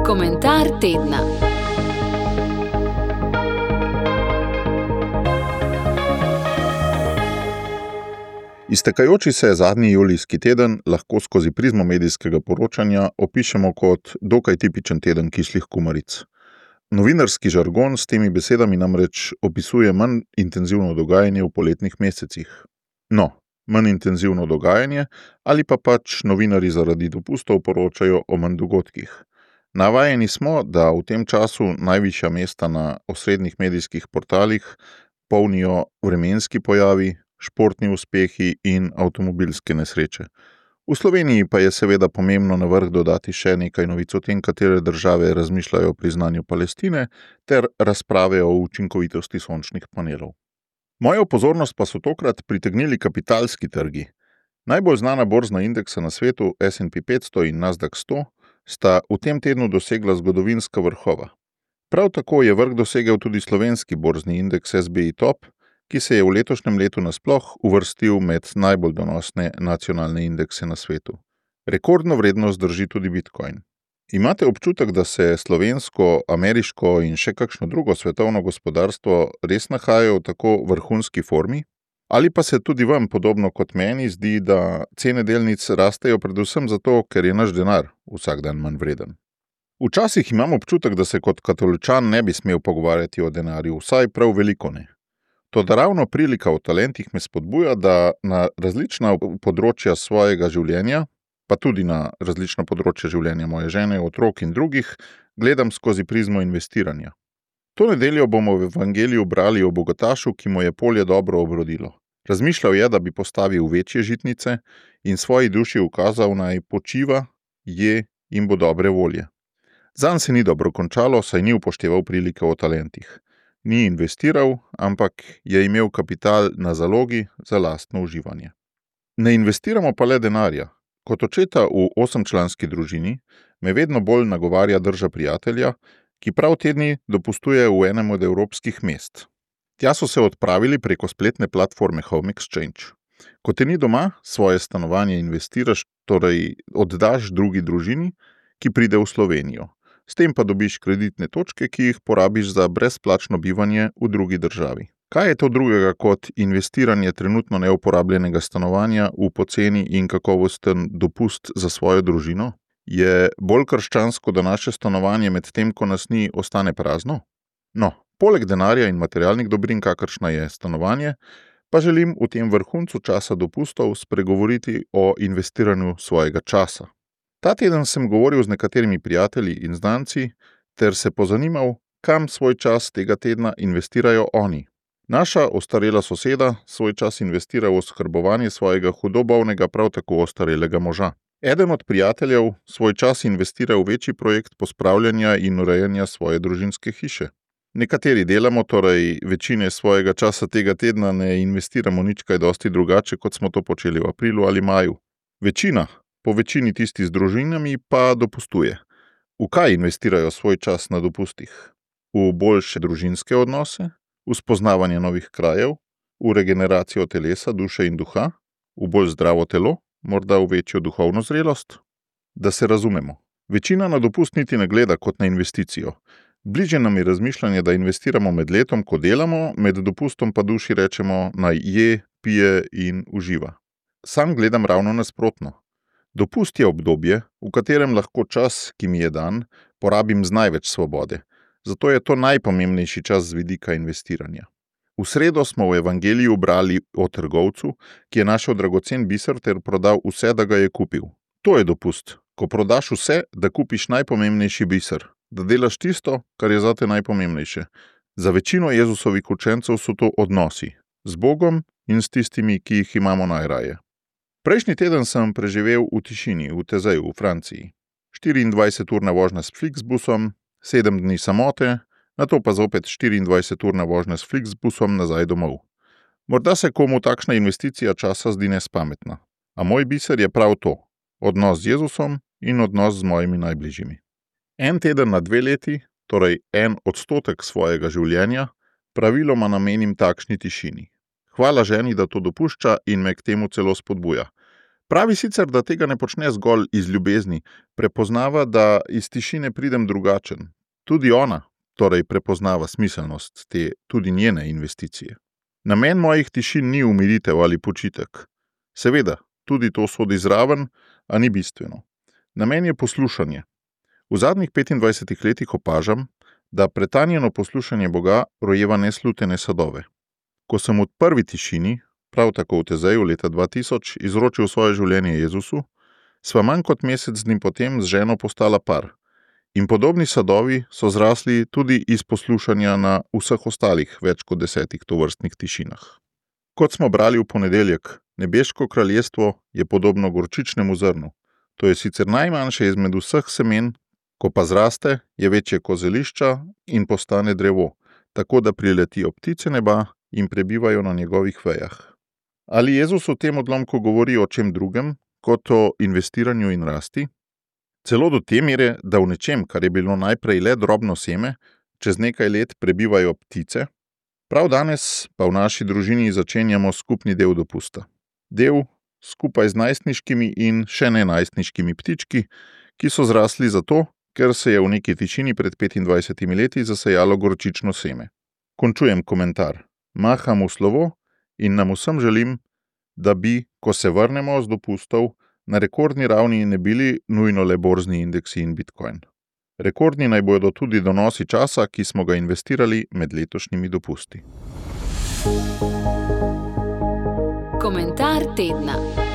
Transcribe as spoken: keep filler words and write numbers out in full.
Komentar tedna. Iztekajoči se zadnji julijski teden lahko skozi prizmo medijskega poročanja opišemo kot dokaj tipičen teden kislih kumaric. Novinarski žargon s temi besedami namreč opisuje manj intenzivno dogajanje v poletnih mesecih. No, manj intenzivno dogajanje ali pa pač novinarji zaradi dopustov poročajo o manj dogodkih. Navajeni smo, da v tem času najvišja mesta na osrednjih medijskih portalih polnijo vremenski pojavi, športni uspehi in avtomobilske nesreče. V Sloveniji pa je seveda pomembno na vrh dodati še nekaj novic o tem, katere države razmišljajo o priznanju Palestine, ter razprave o učinkovitosti sončnih panelov. Mojo pozornost pa so tokrat pritegnili kapitalski trgi. Najbolj znana borzna indeksa na svetu, S and P petsto in Nasdaq sto, sta v tem tednu dosegla zgodovinska vrhova. Prav tako je vrh dosegel tudi slovenski borzni indeks S B I Top, ki se je v letošnjem letu nasploh uvrstil med najbolj donosne nacionalne indekse na svetu. Rekordno vrednost drži tudi Bitcoin. Imate občutek, da se slovensko, ameriško in še kakšno drugo svetovno gospodarstvo res nahajajo v tako vrhunski formi? Ali pa se tudi vam, podobno kot meni, zdi, da cene delnic rastejo predvsem zato, ker je naš denar vsak dan manj vreden? Včasih imam občutek, da se kot katoličan ne bi smel pogovarjati o denarju, vsaj prav veliko ne. Toda ravno prilika o talentih me spodbuja, da na različna področja svojega življenja, pa tudi na različna področja življenja moje žene, otrok in drugih, gledam skozi prizmo investiranja. To nedeljo bomo v evangeliju brali o bogatašu, ki mu je polje dobro obrodilo. Razmišljal je, da bi postavil večje žitnice in svoji duši ukazal, naj počiva, je in bo dobre volje. Zanj se ni dobro končalo, saj ni upošteval prilike o talentih. Ni investiral, ampak je imel kapital na zalogi za lastno uživanje. Ne investiramo pa le denarja. Kot očeta v osemčlanski družini me vedno bolj nagovarja drža prijatelja, ki prav te dni dopustuje v enem od evropskih mest. Tja so se odpravili preko spletne platforme Home Exchange. Ko te ni doma, svoje stanovanje investiraš, torej oddaš drugi družini, ki pride v Slovenijo. S tem pa dobiš kreditne točke, ki jih porabiš za brezplačno bivanje v drugi državi. Kaj je to drugega kot investiranje trenutno neuporabljenega stanovanja v poceni in kakovosten dopust za svojo družino? Je bolj krščansko, da naše stanovanje med tem, ko nas ni, ostane prazno? No, poleg denarja in materialnih dobrin, kakršna je stanovanje, pa želim v tem vrhuncu časa dopustov spregovoriti o investiranju svojega časa. Ta teden sem govoril z nekaterimi prijatelji in znanci ter se pozanimal, kam svoj čas tega tedna investirajo oni. Naša ostarela soseda svoj čas investira v oskrbovanje svojega hudo bolnega, prav tako ostarelega moža. Eden od prijateljev svoj čas investira v večji projekt pospravljanja in urejanja svoje družinske hiše. Nekateri delamo, torej večine svojega časa tega tedna ne investiramo nič kaj dosti drugače, kot smo to počeli v aprilu ali maju. Večina, po večini tisti z družinami, pa dopustuje. V kaj investirajo svoj čas na dopustih? V boljše družinske odnose? V spoznavanje novih krajev? V regeneracijo telesa, duše in duha? V bolj zdravo telo? Morda v večjo duhovno zrelost? Da se razumemo. Večina na dopust niti ne gleda kot na investicijo. Bliže nam je razmišljanje, da investiramo med letom, ko delamo, med dopustom pa duši rečemo, naj je, pije in uživa. Sam gledam ravno nasprotno. Dopust je obdobje, v katerem lahko čas, ki mi je dan, porabim z največ svobode. Zato je to najpomembnejši čas z vidika investiranja. V sredo smo v evangeliju brali o trgovcu, ki je našel dragocen biser ter prodal vse, da ga je kupil. To je dopust, ko prodaš vse, da kupiš najpomembnejši biser, da delaš tisto, kar je zate najpomembnejše. Za večino Jezusovih učencev so to odnosi, z Bogom in s tistimi, ki jih imamo najraje. Prejšnji teden sem preživel v tišini, v Tezeju, v Franciji. štiriindvajseturna vožnja s Flixbusom, sedem dni samote, nato pa zopet štiriindvajseturna vožnja s Flixbusom nazaj domov. Morda se komu takšna investicija časa zdi nespametna, a moj biser je prav to, odnos z Jezusom in odnos z mojimi najbližjimi. En teden na dve leti, torej en odstotek svojega življenja, praviloma namenim takšni tišini. Hvala ženi, da to dopušča in me k temu celo spodbuja. Pravi sicer, da tega ne počne zgolj iz ljubezni, prepoznava, da iz tišine pridem drugačen. Tudi ona, torej prepoznava smiselnost te tudi njene investicije. Namen mojih tišin ni umiritev ali počitek. Seveda, tudi to sodi zraven, a ni bistveno. Namen je poslušanje. V zadnjih petindvajsetih letih opažam, da pretanjeno poslušanje Boga rojeva neslutene sadove. Ko sem v prvi tišini, prav tako v Tezeju leta dva tisoč, izročil svoje življenje Jezusu, sva manj kot mesec dni potem z ženo postala par. In podobni sadovi so zrasli tudi iz poslušanja na vseh ostalih več kot desetih tovrstnih tišinah. Kot smo brali v ponedeljek, nebeško kraljestvo je podobno gorčičnemu zrnu. To je sicer najmanjše izmed vseh semen, ko pa zraste, je večje kot zelišča in postane drevo, tako da priletijo ptice neba in prebivajo na njegovih vejah. Ali Jezus v tem odlomku govori o čem drugem, kot o investiranju in rasti? Celo do te mere, da v nečem, kar je bilo najprej le drobno seme, čez nekaj let prebivajo ptice? Prav danes pa v naši družini začenjamo skupni del dopusta. Del skupaj z najstniškimi in še ne najstniškimi ptički, ki so zrasli zato, ker se je v neki tišini pred petindvajsetimi leti zasejalo gorčično seme. Končujem komentar. Maham v slovo in nam vsem želim, da bi, ko se vrnemo z dopustov, na rekordni ravni ne bili nujno le borzni indeksi in bitcoin. Rekordni naj bodo tudi donosi časa, ki smo ga investirali med letošnjimi dopusti. Komentar tedna.